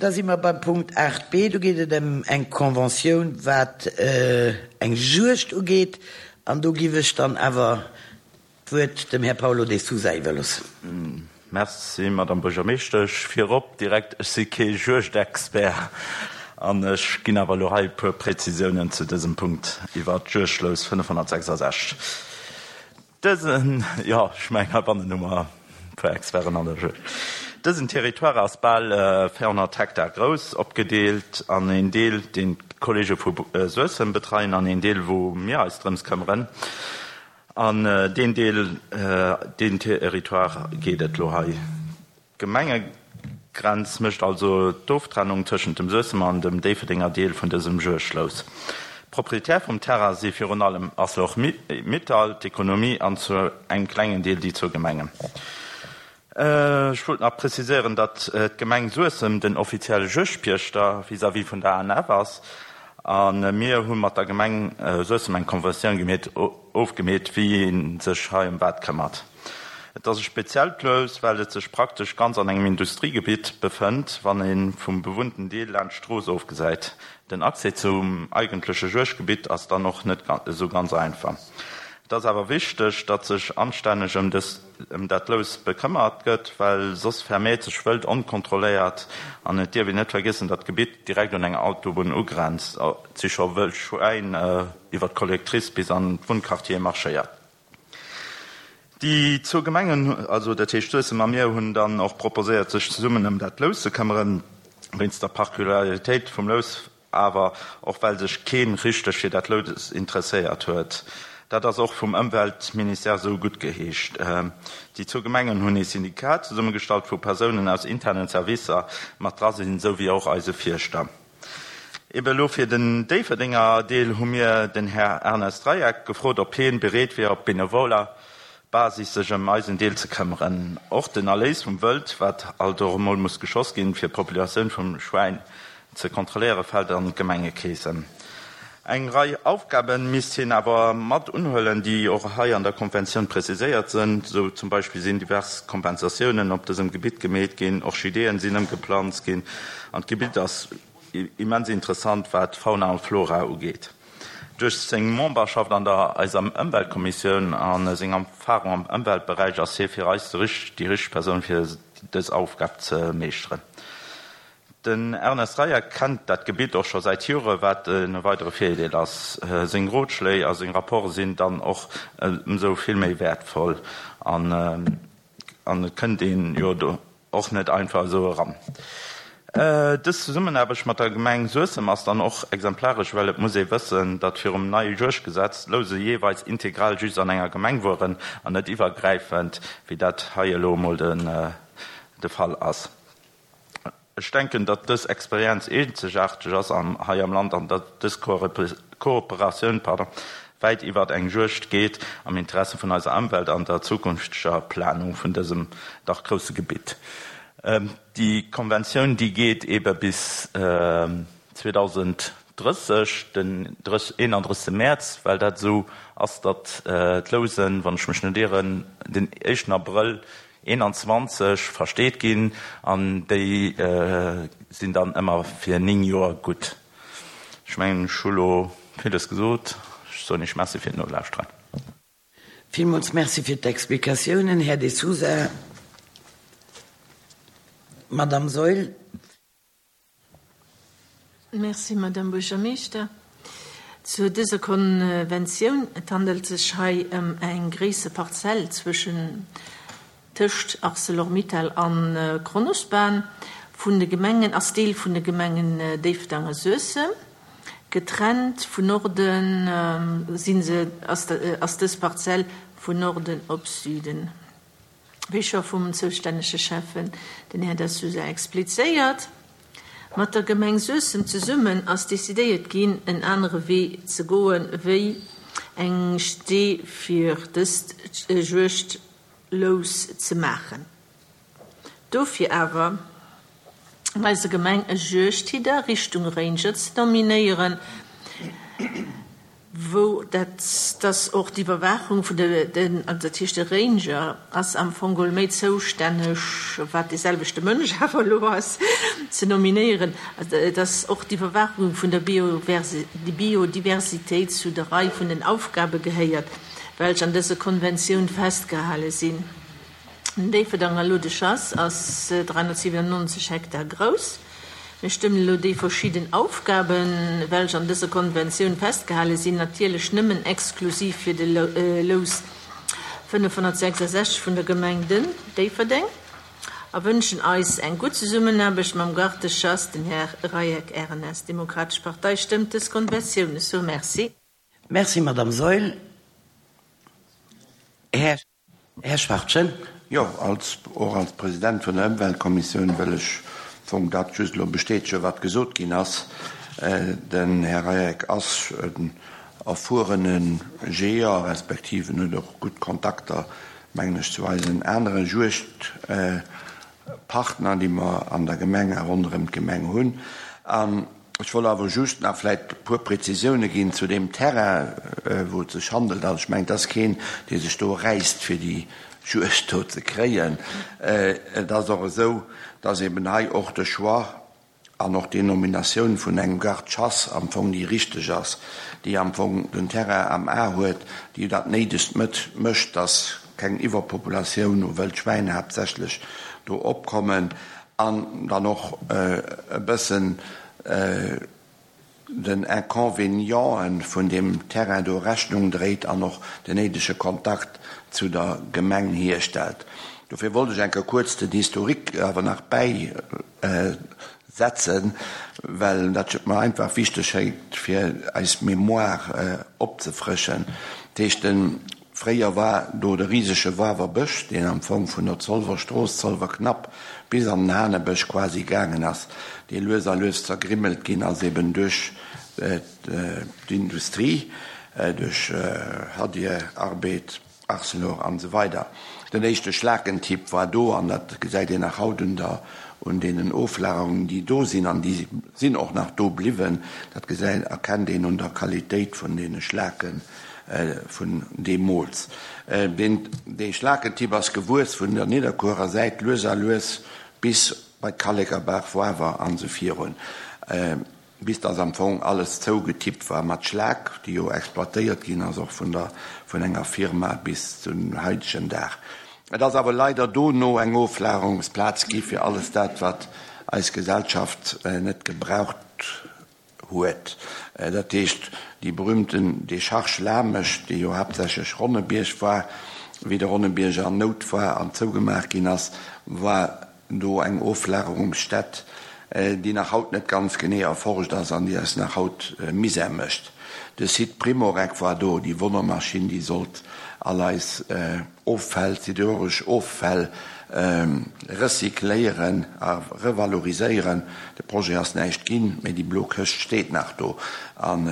Da si mer beim Punkt 8b. Do geet et ëm eng Conventioun, wat eng Juegd ugeet. An do giff ech dann awer d'Wuert dem Här Paulo de Sousa iwwerloossen. Merci, Madame Buergermeeschtesch. Virop direkt, ech si kee Juegdexpert an ech ginn awer elo hei e puer Präzisiounen zu dësem Punkt iwwert d'Juegdlous 566. Dësen, jo, ech mengen heibannen hu mer e puer Experten an der Juegd. Dësen Territoire ass bal 400 Hektar grouss, opgedeelt an een Deel, deen d'Kollege vu Suessem betreien, an een Deel, wou mir eis drëms këmmeren. An deen Deel, deen Territoire geet et elo hei. D'Gemengegrenz mécht also d'Oftrennung tëschent dem Suessemer an dem Déifferdenger Deel vun dësem Juegdlous. Proprietär vum Terrain si virun allem Arcelor Mittal, d'Ekonomie an zu engem klengen Deel déi zwou Gemengen. Ech wollt nach preziséieren, datt d'Gemeng Suessem den offizielle Juegdpiechter vis-à-vis vun der ANF ass a mir hu mat der Gemeng Suessem eng Conventioun gemeet, ofgemeet, wéi ee sech hei ëm wat këmmert. Et ass e speziellt Lous, well et sech praktesch ganz an engem Industriegebitt befënnt, wann ee vum bewunnten Deel laanscht d'Strooss ofgesäit. Den Accès zum eigentleche Juegdgebitt ass dann och net esou ganz einfach. Et ass awer wichteg, datt sech anstänneg ëm dës ëm dat Lous bekëmmert gëtt, well soss vermeert sech Wëld onkontrolléiert. An et dierf een net vergiessen, datt d'Gebitt direkt un eng Autobunn ugrenzt. Et si scho wëll Schwäin iwwer d'Collectrice bis an d'Wunnquartiere marschéiert. Déi zwou Gemengen, also dat heescht Suessem a mir, hunn dann och proposéiert, sech zesummen ëm dat Lous ze këmmeren. Wéinst der Particularitéit vum Lous awer och well sech kee richteg fir dat Lous interesséiert huet. Dat ass och vum Ëmweltministère esou guttgeheescht. Déi zwou Gemengen hunn ee Syndikat zesummegestallt, wou Persounen aus internen Servicer mat dra sinn, esou wéi och eise Fierschter. Ebe elo fir den Déifferdenger Deel hu mir den Här Ernest Dreieck gefrot, ob hien bereet wier op benevoler Basis sech ëm eisen Deel ze këmmeren. Och den Erléis vum Wëld, wat alt och emol muss geschoss ginn, fir d'Populatioun vum Schwäin ze kontrolléieren, fält an d'Gemengekeesen. Eng Rei Aufgabe misst hien awer mat unhuelen, déi och hei an der Konventioun preziséiert sënn. Esou zum Beispill sinn divers Kompensatiounen op dësem Gebitt gemeet ginn, Orchideeën sinn ëmgeplanzt ginn an d'Gebitt ass immens interessant wat Fauna an Flora ugeet. Duerch seng Memberschaft an der eiser Ëmweltkommissioun a seng Erfahrung am Ëmweltberäich ass hie fir eis déi richteg Persoun fir dës Aufgab ze meeschteren. Den Ernest Reyer kennt dat Gebitt och scho säit Jore, wat e weidere Virdeel ass. Seng Rotschléi a seng Rapporte sinn dann och ëmsou vill méi wäertvoll an et kënnt een jo do och net einfach esou eran. Dës Zesummenaarbecht mat der Gemeng Suessem ass dann och exemplaresch, well et muss ee wëssen, datt virum neie Juegdgesetz d'Louse jeeweils integral just an enger Gemeng wuaren an net iwwergräifend, wéi dat hei elo emol de Fall ass. Ech denken, datt dës Experienz eenzegaarteg ass hei am Land an datt dës Kooperatioun wäit iwwert eng Juegd geet, am Interesse vun eiser Ëmwelt an der zukünfteger Planung vun dësem dach grousse Gebitt. Déi Konventioun, déi geet eebe bis 2030, den 31. Mäerz, well dat esou ass, datt d'Lousen, wann ech mech net ieren, den éischten Abrëll 21 versteet ginn an déi sinn dann ëmmer fir 9 Joer gutt. Ech mengen, ech hu lo villes gesot. Ech soen Iech Merci fir d'Nolauschteren. Villmools Merci fir d'Explikatiounen, Här De Sousa. Madamm Saeul. Merci, Madame Buergermeeschter. Zu dëser Konventioun, Et handelt sech hei ëm eng gréisser Parzell zwëschen, tëscht Arcelor-Mittal a Kronospan vun de Gemengen, ass Deel vun de Gemengen Déifferdeng a Suessem. Getrennt vun Norden si se, ass dës Parzell vun Norden op Süden. Wéi scho vum zoustännege Schäffen, den Här Da Sousa, explizéiert, mat der Gemeng Suessem zesummen ass decidéiert ginn, en anere Wee ze goen, wéi eng Stee fir dëst Juegdlous ze maachen. Dofir awer an eiser Gemeng e Juegdhidder Richtung Ranger ze nominéieren. wou dat, dass och d'Iwwerwaachung vun de, den, also dat heescht de Ranger ass am Fong geholl méi zoustänneg, wat dee selwechte Mënsch awer elo ass, ze nominéieren, dass och d'Iwwerwaachung vun der Biodiversitéit zu der Rei vun den Aufgabe gehéiert, welch an dëser Konventioun festgehale sinn. Den Déifferdanger Lodechass ass 397 Hektar grouss. Mir stëmmen elo déi verschidden Aufgaben, welch an dëser Konventioun festgehale sinn, natierlech nëmmen exklusiv fir de Lous 566 vun der Gemeng Déifferdeng a wënschen eis eng gutt Zesummenaarbecht mam Garde-chasse, den Här Rayek, RNS. D'Demokratesch Partei stëmmt dës Konventioun. Ech soe Merci. Merci, Madame Saeul. Här. Här Schwachtgen. Jo, als, och als President vun der Ëmweltkommissioun wëll ech am Fong dat just elo bestätegen, wat gesot ginn ass. Den Här Rayek ass en erfuerene Jeeër, respektiv en huet och gutt Kontakter, mengen ech, zu eisen anere Juegdpartner, déi mer an der Gemeng a ronderëm d'Gemeng hunn. An Ech wollt awer just nach vläicht e puer Präzisioune ginn zu deem Terrain, wou et sech handelt. Also ech mengen, et ass keen, dee sech do räisst, fir déi Juegd do ze kréien. Et ass och esou, dass eben hei och de Choix an och déi Nominatioun vun engem Garde-chasse am Fong déi richteg ass, déi am Fong den Terrain am A huet, déi dat Néidegst mécht, dass keng Iwwerpopulatioun u Wëldschwäin haaptsächlech do opkommen. An dann och e bëssen den Inconvénienten vun deem Terrain do Rechnung dréit an och den néidege Kontakt zu der Gemeng hierstellt. Dofir wollt ech eng Kéier kuerz den Historique awer nach bäisetzen, well dat mer einfach wichteg schéngt, fir eis Mémoire opzefrëschen. Dat heescht, den Fréier war do de risege Wawer Bësch, deen am Fong vun der Zolwer Strooss, Zolwer Knapp, bis an den Hanebësch quasi gaangen ass, dee lues a lues zergrimmelt ginn ass, eben duerch d'Industrie, duerch Hadir, Arbed, Arcelor an esou weider. Den éischte Schlakentipp war do, an dat gesäit een nach haut un der, un deenen Oflagerungen, déi do sinn, an déi sinn och nach do bliwwen. Dat gesäit, erkennt een un der Qualitéit vun deene Schlaken. Vun deemools. Deen dee Schlakentipp ass gewuess vun der Nidderkuerer Säit lues a lues bis bei d'Kallekerbaach, Woawer an esou virun, bis dass am Fong alles zougetippt war mat Schlak, déi jo exploitéiert ginn ass och vun der vun enger Firma bis zum haidegen Dag. Et ass awer leider dono eng Oflagerungsplaz gi fir alles dat, wat eis Gesellschaft net gebraucht huet. Dat heescht, déi berühmten Décharge Lamesch, déi jo haaptsächlech Ronnebierg war, wéi de Ronnebierg an Nout war an zougemaach ginn ass, war do eng Oflagerungsstätt, déi nach haut net ganz genee erforscht ass an déi eis nach haut Misär mécht. De Site Primorec war do, déi Wonnermaschinn, déi sollt all eis Offäll, siderurgesch Offäll recycléieren a revaloriséieren. De Projet ass näischt ginn, mee déi blo Këscht steet nach do. An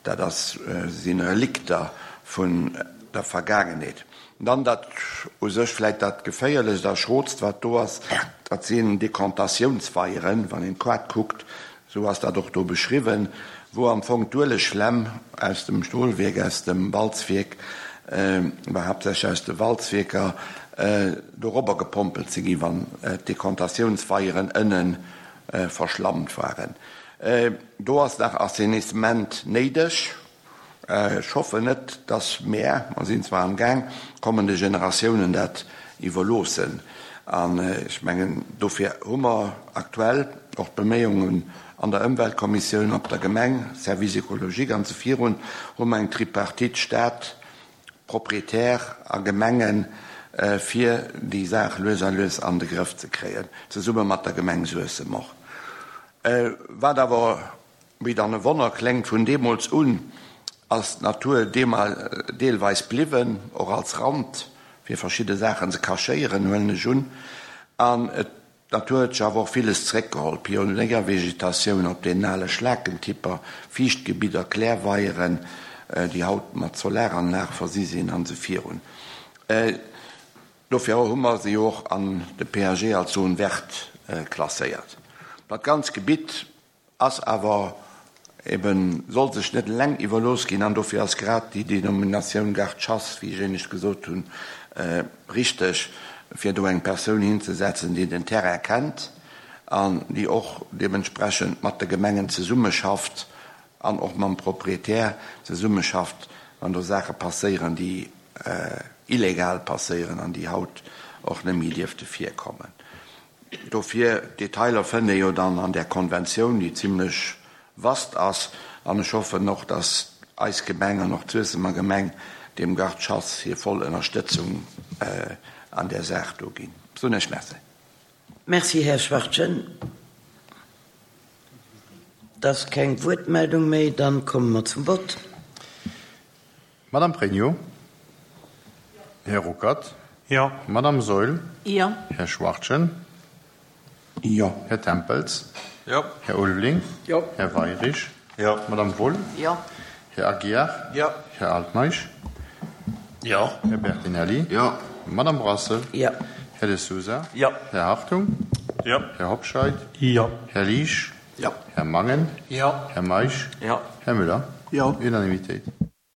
dat ass, si Relikter vun der Vergaangenheet. Dann dat u sech vläicht dat Geféierlechst a Schrootst, wat do ass, dat sinn Dekantatiounsweieren. Wann een d'Kaart kuckt, Sou ass dat och do beschriwwen, wou am Fong d'Uelegflemm aus dem Stolwierk, aus dem Walzwierk, mä haaptsächlech aus de Walzwierker, dorobber gepompelt si ginn, wann d'Dekantatiounsweieren ënne verschlammt waren. Do ass nach Assainissement néideg. Ech hoffen net, dass mär, mer sinn zwar am Gaang, kommende Generatiounen dat iwwerloossen. An ech mengen, dofir hu mer aktuell och d'Beméiungen an der Ëmweltkommissioun, op der Gemeng, Service écologique an esou virun, hu mer eng Tripartite Stat, Propriétaire a Gemengen, fir déi Saach lues a lues an de Grëff ze kréien, zesumme mat der Gemeng Suessem och. Wat awer Wéi dann e Wonner kléngt, vun deemools un ass d'Natur deelweis bliwwen, och als Rand fir verschidde Saachen ze cachéieren, huelen ech un. An d'Natur huet sech awer och villes zeréckgeholl, Pionéiervegetatioun op deenen ale Schlakentipper, Fiichtgebidder, Klärweieren, déi haut mat Solaranlag versi sinn, an esou virun. Dofir hu mer se jo och an de PAG als Zone verte klasséiert. Dat ganz Gebitt Ass awer Eben soll sech net eleng iwwerlooss ginn an dofir ass grad déi Denominatioun Garde-chasse, wéi ech éinescht gesot hunn, richteg, fir do eng Persoun hinzesetzen, déi den Terrain kennt an déi och deementsprechend mat de Gemengen zesummeschafft an och mam Proprietär zesummeschafft, wann do Saache passéieren, déi illegal passéieren an déi haut och net méi dierfte virkommen. Dofir, d'Detailer fënnt ee jo dann an där Konventioun, déi zimlech vast ass. An ech hoffen och, dass eis Gemeng an och d'Suessemer Gemeng deem Garde-chasse hir voll Ënnerstëtzung an där Saach do ginn. Soen Iech Merci. Merci, Här Schwachtgen. Et ass keng Wuertmeldung méi. Dann komme mer zum Vott. Madame Pregno? Här Ruckert? Jo. Madame Saeul? Jo. Här Schwachtgen? Jo. Här Tempels? Jo. Här Ulveling? Jo. Här Weirich? Jo. Madame Wohl? Jo. Här Aguiar? Jo. Här Altmeisch? Jo. Här Bertinelli? Jo. Madame Brassel? Jo. Här De Sousa? Jo. Här Hartung? Jo. Här Hobscheit? Jo. Här Liesch? Jo. Här Mangen? Jo. Här Meisch? Jo. Här Müller? Jo. Unanimitéit.